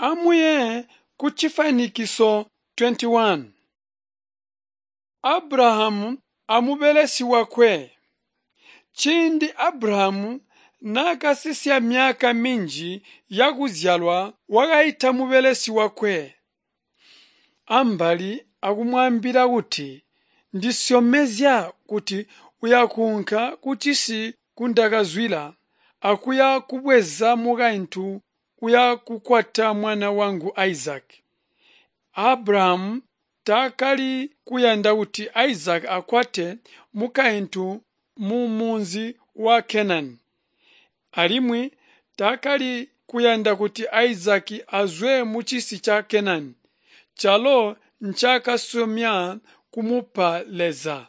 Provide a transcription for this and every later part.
Amuye kucifwanikiso 21. Abrahamu amubelesi wakwe. Ciindi Abrahamu naakasisya myaka minji yakuzyalwa wakaita mubelesi wakwe ambali akumwaambila kuti, Ndisyomezya kuti uyakuunka kucisi nkundakazwida akuya kubweza mukaintu uya kukwata mwana wangu Isaki. Abrahamu taakali kuyanda kuti Isaki akwate mukaintu mumunzi wa Kenani. Alimwi taakali kuyanda kuti Isaki azwe mucisi ca Kenani, calo ncaakasyomya kumupa Leza.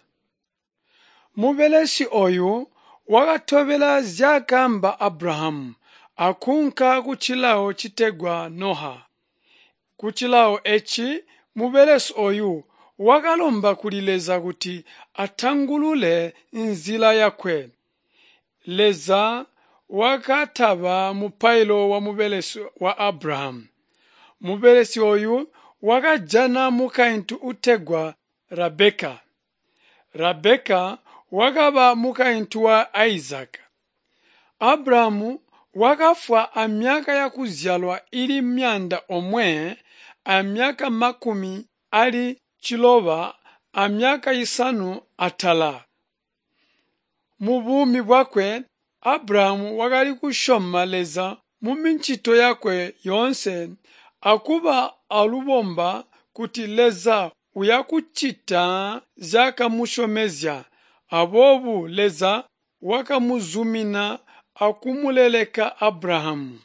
Mubelesi ooyu wakatobela zyaakaamba Abrahamu akuunka kucilawo citegwa Noha. Kucilawo eeci mubelesi ooyu wakalomba kuli Leza kuti atangulule nzila yakwe. Leza wakataba mupailo wamubelesi wa Abrahamu. Mubelesi ooyu wakajana mukaintu uutegwa Rabeka. Rabeka wakaba mukaintu wa Isaka. Abrahamu wakafwa amyaka yakuzyalwa ili 195. Mubuumi bwakwe Abrahamu wakali kusyoma Leza mumicito yakwe yoonse akuba alubomba kuti Leza uyakucita nzyaakamusyomezya. Aboobo Leza wakamuzumina akumuleleka Abrahamu.